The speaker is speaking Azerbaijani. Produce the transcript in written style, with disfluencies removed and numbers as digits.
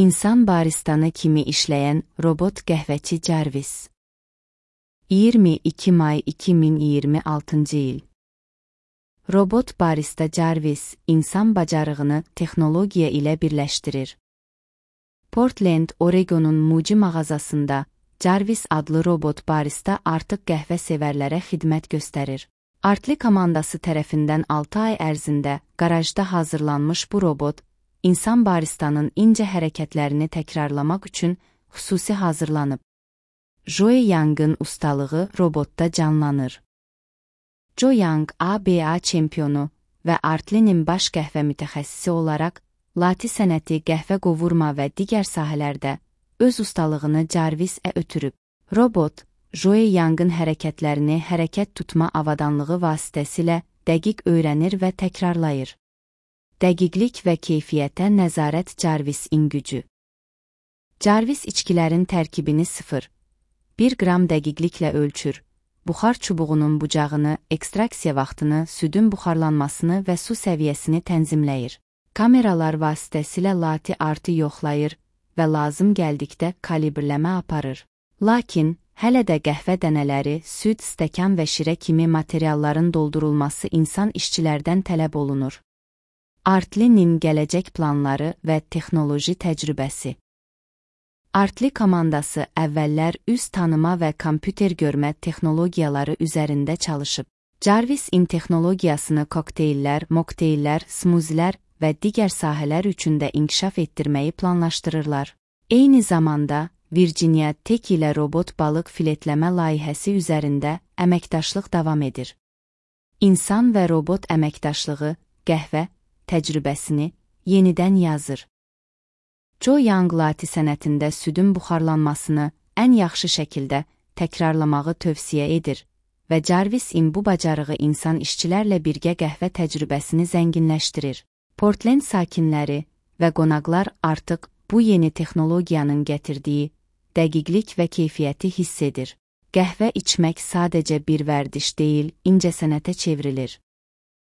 İnsan baristanı kimi işləyən robot qəhvəçi Jarvis. 22 may 2026 il. Robot barista Jarvis, insan bacarığını texnologiya ilə birləşdirir. Portland, Oregonun Muji mağazasında Jarvis adlı robot barista artıq qəhvə sevərlərə xidmət göstərir. Artli komandası tərəfindən 6 ay ərzində qarajda hazırlanmış bu robot, insan baristanın incə hərəkətlərini təkrarlamaq üçün xüsusi hazırlanıb. Joe Young'ın ustalığı robotda canlanır. Joe Young, ABA çempionu və Artli'nin baş qəhvə mütəxəssisi olaraq, lati sənəti, qəhvə qovurma və digər sahələrdə öz ustalığını Jarvis'ə ötürüb. Robot, Joe Young'ın hərəkətlərini hərəkət tutma avadanlığı vasitəsilə dəqiq öyrənir və təkrarlayır. Dəqiqlik və keyfiyyətə nəzarət Jarvis'in gücü. Jarvis içkilərin tərkibini 0,1 qram dəqiqliklə ölçür. Buxar çubuğunun bucağını, ekstraksiya vaxtını, südün buxarlanmasını və su səviyyəsini tənzimləyir. Kameralar vasitəsilə lati artı yoxlayır və lazım gəldikdə kalibrləmə aparır. Lakin, hələ də qəhvə dənələri, süd, stəkan və şirə kimi materialların doldurulması insan işçilərdən tələb olunur. Artli'nin gələcək planları və texnoloji təcrübəsi. Artli komandası əvvəllər üz tanıma və kompüter görmə texnologiyaları üzərində çalışıb. Jarvis'in texnologiyasını kokteyllər, mokteyllər, smuzilər və digər sahələr üçün də inkişaf etdirməyi planlaşdırırlar. Eyni zamanda, Virginia Tech ilə robot balıq filetləmə layihəsi üzərində əməkdaşlıq davam edir. İnsan və robot əməkdaşlığı, qəhvə təcrübəsini yenidən yazır. Joe Young lati sənətində südün buxarlanmasını ən yaxşı şəkildə təkrarlamağı tövsiyə edir və Jarvis'in bu bacarığı insan işçilərlə birgə qəhvə təcrübəsini zənginləşdirir. Portland sakinləri və qonaqlar artıq bu yeni texnologiyanın gətirdiyi dəqiqlik və keyfiyyəti hiss edir. Qəhvə içmək sadəcə bir vərdiş deyil, incəsənətə çevrilir.